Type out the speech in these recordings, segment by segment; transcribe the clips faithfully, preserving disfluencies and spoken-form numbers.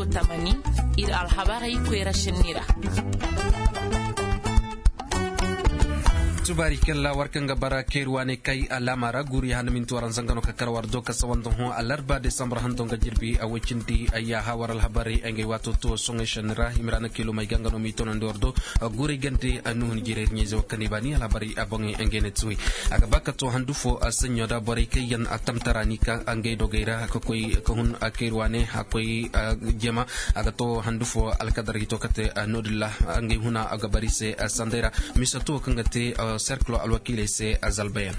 Tamani, ir alhabarey koyra senni ra. Tubaari kalla war kaŋ ga bara kayruwa ne kay alaama ra guuri handa minti waranza nga no ka kar war do ka sawanda hõ alarba desambur hando nga jirbi a way cindi. Yaaha war alhabarey ngey waato to soŋey senni ra himira na kiilomey ga nga no m'i tonandi war do. Guurey gante nuhun jirey ɲayze wo kaŋ i baani alhabarey a boŋey ngey ne tuwey. A ga ba ka to handu fo a saɲɲo da borey kaŋ yaŋ a tamtara ni ka ngey dogey ra ka koy ka hun a kayruwa ne a koy jema. A ga to handu fo alkadar hito ka te noodin ra ngey huna a ga bari se sandey ra. Misato kaŋ ga te serkilo alwakiiley se zalbayaŋ.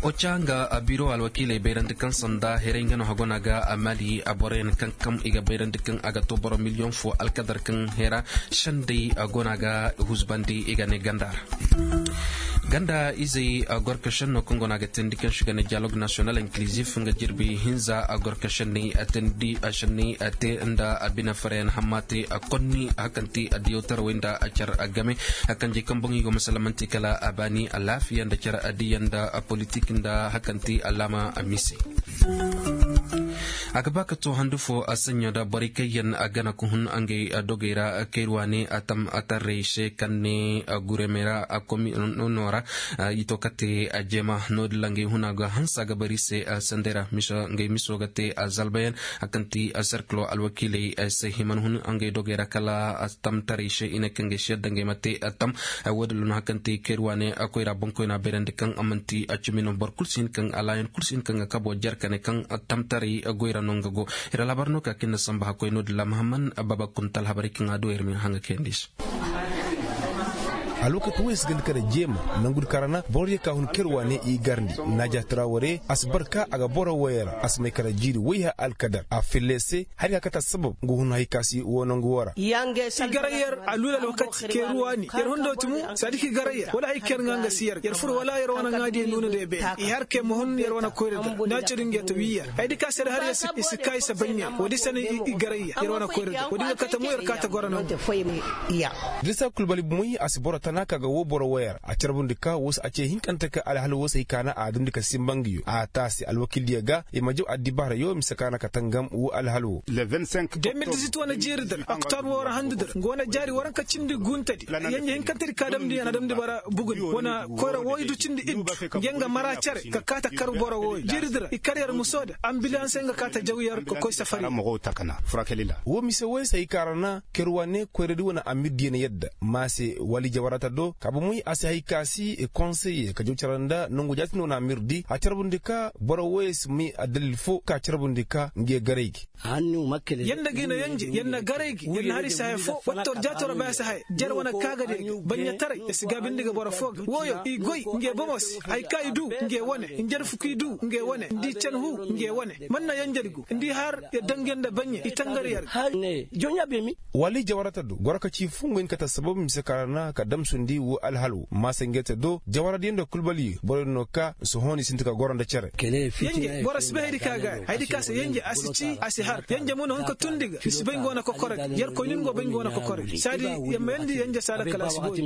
Oca nga biro alwakiiley bayrandi kaŋ sanda heray nga no hagona ga mali boroyaŋ kaŋ kam i ga bayrandi kaŋ a ga to boro miliyoŋ fo alkadar kaŋ hera sendey gona ga huzbandi i ga ne ganda ra. Ganda izey gorka senno kaŋ gona ga teendi kaŋ se i ga ne dialogue national inclusif nga jirbi hinza gorka senney teendi senney te nda bine farayaŋ hamma te konni hakanti addiyaw tarawey nda car game. Kanjey kaŋ boŋ i go masalamanti kala a baani alaafiya nda car addiya nda politik nda hakanti alaama mise. A ga ba ka to handu fo a saɲɲo da borey kaŋ yaŋ a gana ka hun ngey dogey ra kayruwa ne a tam a tarrey se kaŋ ne guremey ra a komi no ra. I to ka te a jeema noodin ra ngey huna ga hansa ga bari se sendey ra ngey miso ga te a zalbayaŋ a kaŋ ti serkilo alwakiiley se hima na hun ngey dogey ra kala a tam tarey se i ne kaŋ ga si yadda ngey ma te a tam. Woodin ra no hakanti kayruwa ne koyra boŋkoyna bayrandi kaŋ a manti a cimi no boro kulu si hin kaŋ alaayan kulu si hin kaŋ ga kabo jer ka ne kaŋ tamtaray goy ra no nga go. Iri alhabar no ka kinda samba hakkoy no dilla mahamman baba kunta alhabaray kaŋ a do iri ma hin haŋ ga kayandi se. Alwakati woy si ganda kara jeema nangu di karana boro diya ka hun kayruwa ne i garndi. Naaja tara ware a si bar ka a ga boro woyey ra a si may kara jiiri woy ha alkadar a fille se. Hari ka kata sabab nga hun hay ka si wo nangu wo ra. I garay yer a luula alwakati keeruwa ni yer hundo ti mo. Saadi ka i garay yer wala hay ka yer ŋaa nga si yer yer fur wala yer wane ŋaadiyo nuuna nda yer beene i har ka yer ma hun yer wane koyra da nda a codi nga yer ta wii yer. Haydi ka se da har yer si kaa i si baɲɲa woodi se no i garay yer yer wane koyra da woodi nga kate mo yer kaa ta goro nangu. Dirisa kulbali bumoy a si boro tana ka ga woo boro woyer a carbundi ka woo se a ce hinkante ka alhal woo se hay ka na a dundi ka sinba nga yo a taasi alwakildiyo ga i ma jaw addibaarayo mise ka na ka tangam woo alhal woo. Deux mille dix-huit wane jeeri dir oktobre woo ra handu dir nga wane jaari waranka cindi guntedi yenje hinkantedi ka damndi yana damndi bara buguni wane koyra wooydu cindi iddu nga nga mara cere ka kaa ta kar boro wooyo jeeri dir i kar yer muso da ambilanse nga kaa ta jaw yer ka koy safari. Woo mise wooyo se hay ka ra na kerwa ne koyradi wane amirdiyo na yadda ma se wali jawarata do ka bomoy a si hay ka si konseye ka jaw cara nda nongu jaatindi wane amirdi a carbundi ka boro wooyo si may addalil foo ka carbundi ka nge garay gi. Yanda ga i na yanje yer na garay gi yer na hari se haya foo wattor jaato ra bay a si haya jer wane kaagadiyo gi baɲɲataray yer si gaabindi ga boro foo ga wooyo i goy nge bomo se hay ka i du nge wane njer fuku i du nge wane nda i can huu nge wane man na yanjedi go nda i har yer dangu yer nda baɲɲe i tangar yer ga. Wali jawarata do goro ka ci foo nga hin kate sabab mise ka ra na ka damsundi woo alhal woo maasa nge te do jawaradiyo nda kulbaliyo boro din no ka sohõ ni sinti ka goro nda cere. Yenje boro si bay haydi ka gaari haydi ka se yenje a si cii a si har yenje mo na hun ka tundi ga i si bay nga wane kokore ga yer koy nin go bay nga wane kokore ga saadi yer ma yandi yenje saala kala a si booyo.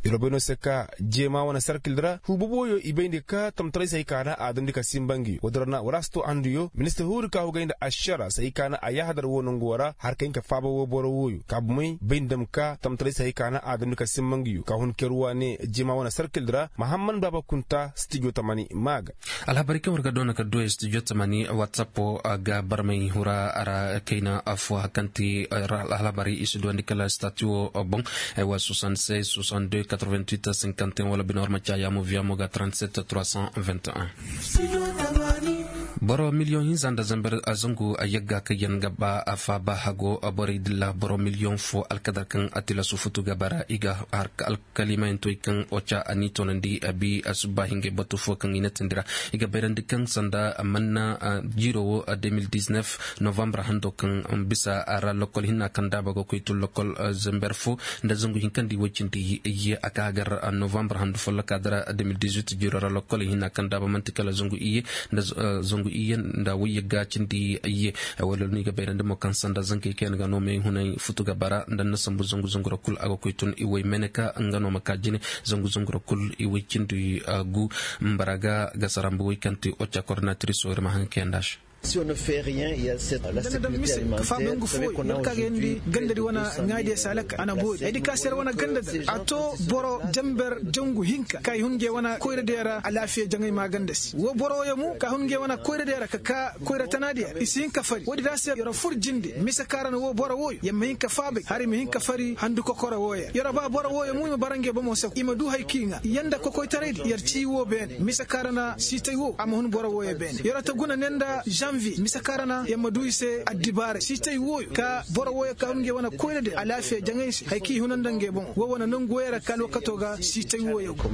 Yer wo bay no se ka jeema wane sarkil ra huu boboyo i bayndi ka tamtaray se hay ka na a damndi ka sinba nga yo woodi ra na war a si to anduyo ministir huuri ka hugay nda ašara se hay ka na a yaahadar woo nongu woo ra har ka hin ka faaba woo boro wooyo ka bomey bayndi dam ka tamtaray se hay ka na a damndi ka sinba nga yo ka hun kerwa ne jeema wane sarkil ra mahamman baaba kunta stijo tamani maa ga. Alhabarey kaŋ war ga doona ka duwey studio tamani whatsapp ga barmay hura a ra kayna fo hari kaŋ ti alhabarey i si duwandi kala stati wo boŋ. Aywa soixante-seize soixante-deux quatre-vingt-huit cinquante et un wala bine war ma caayaamo viyaamo ga trente-sept trois cent vingt et un. Boro miliyoŋ hinza nda zamber zangu yagga kaŋ yaŋ ga ba a faaba hago borey dilla boro miliyoŋ fo alkadar kaŋ a tilasu futu ga bara i ga har kalimayantoy kaŋ oca a n'i toonandi a bi a subba hingay batu fo kaŋ i na tindi ra. I ga bayrandi kaŋ sanda manna jiiro wo deux mille dix-neuf novembre hando kaŋ bisa a ra lokol hinna kaŋ daaba ga koy tun lokol zamber fo nda zangu hinkandi way cindi iyye a ka gar novembre handu folloka dara deux mille dix-huit jiiro ra lokol hinna kaŋ daaba manti kala zangu iyye nda zangu iyye nda wayyagga cindi iyye. Wala no i ga bayrandi mo kaŋ sanda zankey kaŋ yaŋ ga no may hunay futu ga bara nda na sambu zangu zangu ra kulu a ga koy tun i way meneka nga no ma ka jine zangu zangu ra kulu i way cindi gu. Mbaraga ga sarambu way kaŋ ti oca koordinatriso ir ma haŋ kayanda se. Dana daŋ mise ka faaba ngu fooyo yer ka ga yandi gandadi wane ŋaadiya se alakal a na boori haydi ka se yer wane gandadi a to boro janber jangu hinka ka i hun ngey wane koyradiyo ra alaafiya jaŋay maaganda se woo boro wooyo mo ka hun ngey wane koyradiyo ra ka ka koyra tanaadiyo ra i si hin ka fari woodi ra se yer fur jinde mise ka ra na woo boro wooyo yer ma hin ka faabay hala i ma hin ka fari handu kokoro wooyo ra yer ba boro wooyo mo i ma bara ngey bomo se i ma du haya ka i ŋaa yer nda kokoytaraydi yer ci woo beene mise ka ra na siitay woo a ma hun boro wooyo beene yer ta guna ne nda zanviye mise ka ra na yer ma du i se addibaaray siitay wooyo ka boro wooyo ka hun ngey wane koyra de alaafiya jaŋay se haya ka i huna nda ngey bomo woo wane nangu wooyo ra ka alwakato ga siitay wooyo go.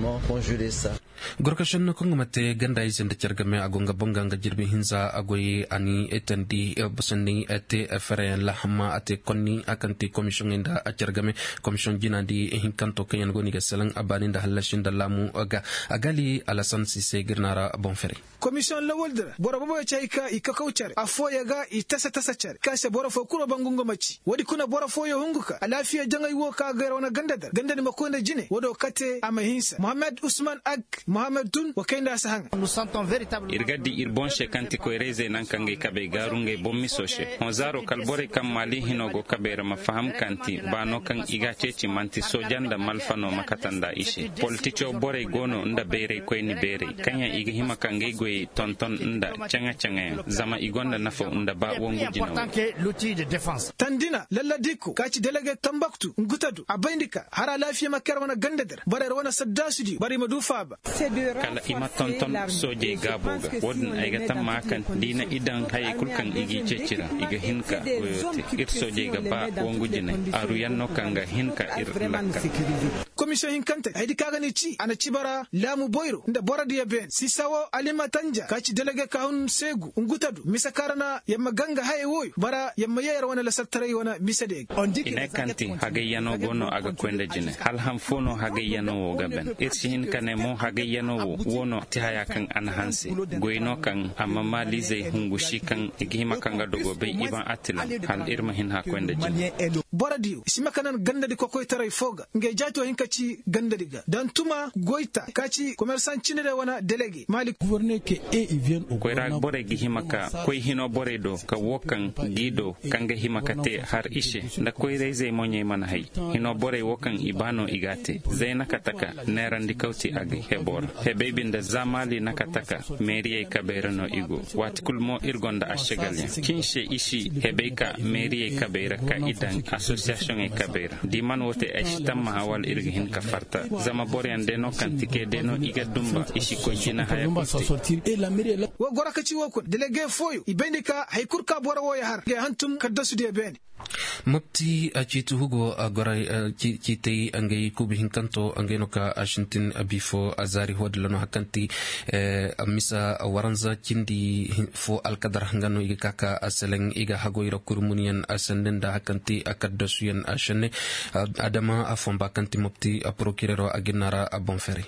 Gorkašenno kaŋ ga ma te ganda ize nda care game a go nga boŋ ga nga jirbi hinza a goy a ni etandi basandi te fereyaŋ lahamma a te konni a kaŋ te komisiyoŋey nda care game komisiyoŋ jinaadi hinkanto kaŋ yaŋ go no i ga selaŋ a baani nda hallasi nda laamu ga a gali alasan sise ga ir na ra boŋ fere. Komisiyoŋ lawaldi ra boro booboyo ci hay ka i kakaw care affooyo ga i tasa tasa care kaŋ se boro fooyo kulu ma ba ngu nga ma ci woodi kuna boro fooyo hungu ka alaafiya jaŋay wo ka ga ir wane ganda dar ganda ni ma koy nda jine woodi wo kate a ma hinsa mohammed usman ag mohammed tun wa kay nda a si haŋa. Ir ga di ir boŋ se kaŋ ti koyra-izey naŋ kaŋ ga ay kabey gaaru ngey boŋ miso se hõ zaaro kala borey kaŋ maali hino go kabey ra ma faham kaŋ ti baano kaŋ i ga a ceeci man'ti sooja nda malfa no ma kate nda i se politico borey go no nda bayray koyni beeray kaŋ yaŋ i ga hima ka ngey goyey tonton nda caŋa-caŋayaŋ zama i gonda nafaw nda ba wongu jinaw. Tandina lalladiiko ka ci delege tambaktu ngutadu a bayndi ka har alaafiya ma kay ra wane ganda dar bara ir wane saddaasu di bara i ma du faaba. Kala i ma tonton soojey gaabo ga wo-din ay ga tamma kaŋ da i na i daŋ hayey kulu kaŋ i g'i ceeci ra i ga hin ka goyo te ir soojey ga ba wongu jinay aruyaŋ no kaŋ ga hin ka ir lakka. Komisiyoŋ hinkante haydi ka ga n'i ci a na ci bara laamu boyro nda borodiyo beene siisa wo alima tanja ka ci delege ka hun seegu ngutadu mise ka ra na yer ma ganga hayey wooyo bara yer ma yee yer wane lasartaray wane misediyo ga. I ne kaŋ ti hagayyano go no a ga koy nda jine hala han fo no hagayyano wo ga ban ir si hin ka ne mo hagayyano wo wo no ti haya kaŋ a na hanse goy no kaŋ amma maaliizey hungu si kaŋ i ga hima ka nga dogo bay i ban attilam hala ir ma hin haka koy nda jine. Borodiyo i si ma ka nan gandadi kokoytaray fo ga ngey jaati wo hin ka ci gandadi ga dantuma goyta ka ci komersaŋ cine day wane delege maali. Koyra borey ga hima ka koy hino borey do ka wo kaŋ g'i do kaŋ ga hima ka te har i se nda koyra-izey moɲey mana hay hino borey wo kaŋ i ba no i g'a te zayna kate ka neerandi kawti a ga hebo ra hebey binde za maali na kate ka meeriyey kabey ra no i go waati kulu mo ir gonda ašagalyaŋ kaŋ se i si hebey ka meeriyey kabey ra ka i daŋ asosiyasiyoŋey kabey ra da i mana wo te ay si tammaha wala ir ga hin ka farta zama boroyaŋ day no kaŋ tikey day no i ga dumba i si koy jina haya kul te. Wo goro ka ci wo kuna delege fooyo i bayndi ka hari kul ka boro wooyo har ngey hantum kaddasudiyo beene. Mopti ciiti hugo goray ciitey ngey kuuba hinkanto ngey no ka a sintin bifo zaari hoodilla no hakanti misa waranza cindi fo alkadar nga no i ga ka ka a seleŋ i ga hagoy ra kuri munyaŋ sende nda hakanti a kaddasuyaŋ sende. Adama a fomba kaŋ ti mopti porokirero a ginna ra a boŋ fere.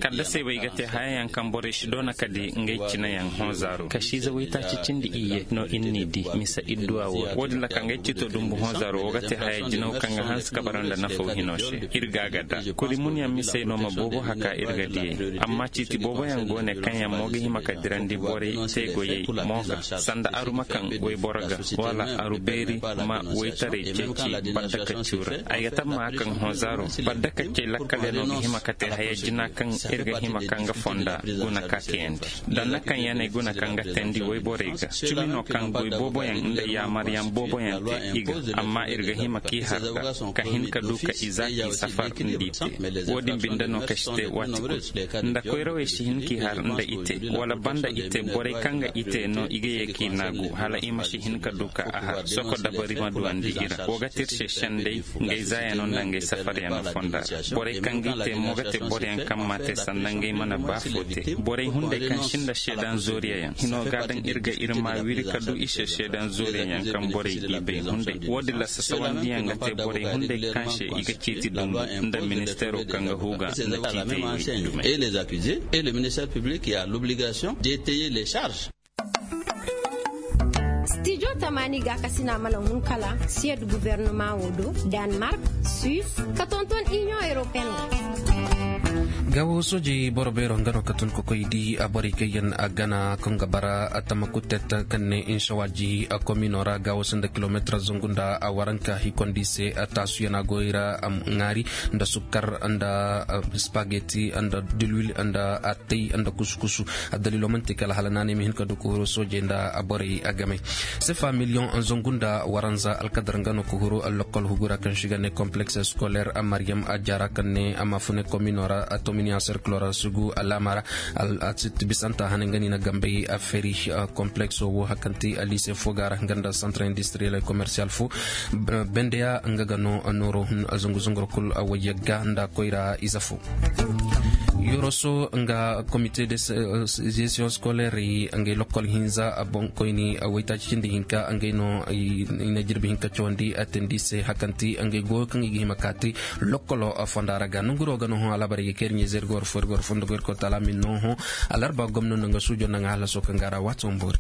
Kala da se bay ga te hayayaŋ kaŋ borey si doona ka di ngey cineyaŋ honzaaro kasiize waytaaci cindi iyye no ir n'i di mise idduwa wo ra wo-din ra ka ngey cito dumbu honzaaro wo ga te haya jinaw kaŋ ga hanse ka bara nda nafaw hino se. Ir ga a ga da kuri munyaŋ misey no ma boobo haka ir ga diyey amma ciiti booboyaŋ go ne kaŋ yaŋ mo ga hima ka dirandi borey teegoyey mo ga sanda aruma kaŋ wayboro ga wala aru beeri ma waytaray ceeci baddakaccuu ra. Ay ga tammaha kaŋ honzaaro baddakaccey lakkalyaŋo ga hima ka te haya jina kaŋ ir ga hima ka nga fonda guna ka kayandi danna kaŋ yaŋ ay guna ka nga teendi wayborey ga cimi no kaŋ goy booboyaŋ nda yaamaryaŋ booboyaŋ te i ga amma ir ga hima k'i har ga ka hin ka du ka iza k'i safar nda i te. Wo-din binde no ka si te waati kul nda koyrawey si hin k'i har nda i te wala banda i te borey kaŋ ga i te no i ga ye k'i naagu hala i ma si hin ka du ka a har soko dabari ma duwandi i ra wo ga te ir se sendey ngey zaayano nda ngey safaryano fonda ra. Borey kaŋ g'i te mo ga te boroyaŋ kaŋ m'a te sanda ngey mana ba fo te borey hunday kaŋ sinda seedaŋ zooriyayaŋ hino ga a daŋ ir ga ir ma wiri ka du i se seedaŋ zooriyayaŋ kaŋ borey g'i bay hunday wo-din ra sasawandiyaŋ ga te borey hunday kaŋ se i ga ciiti dumbu nda ministeero kaŋ ga huuga nda ciitey dumey. Stijo tamaani gaakasina mana hun kala siyad gubernama wo do, danmark, suis, ka tonton inion europeen wo. Gaawo soojey boro beero nga no ka tun ka koy di borey kaŋ yaŋ a gana kaŋ ga bara tamakutet kaŋ ne inšawaaji komino ra gaawo sanda kilomeetir zangu nda waranka hikondi se. Taasuyaŋ a goy ra ŋaari nda sukkar nda spageti nda dilwil nda attay nda kusu-kusu. Addaliilo man'ti kala hala naanay ma hin ka du ka huru soojey nda borey a game. Sefa miliyoŋ zangu nda waranza alkadar nga no ka huru lokkol hugu ra kaŋ se i ga ne kompleks scolaire maryam ajara kaŋ ne a ma fune komino ra tominiya serkilo ra sugu alaama ra. Bisanta hane nga ni na gambey a feri komplekso wo hakanti alise fo ga ra nga nda santre industriyel e komersiyal fo. Bendeya nga ga no nooro hun zangu zangoro kul wayagga nda koyra ize fo. Yoroso nga komite de gestion scolaire ngay lokkol hinza a boŋkoyni waytaaci cindi hinka ngay no i na jirbi hinka cawandi a tindi se hakanti ngay goyo kaŋ i ga hima kaati lokkolo fonda ra ga nanguro ga no hõ alabarey ga kayrɲey zergor forgor fondo goyrko tala min no hõ. Alarba gomno nanga sujo nanga halaso kaŋ ga ra wato mboori.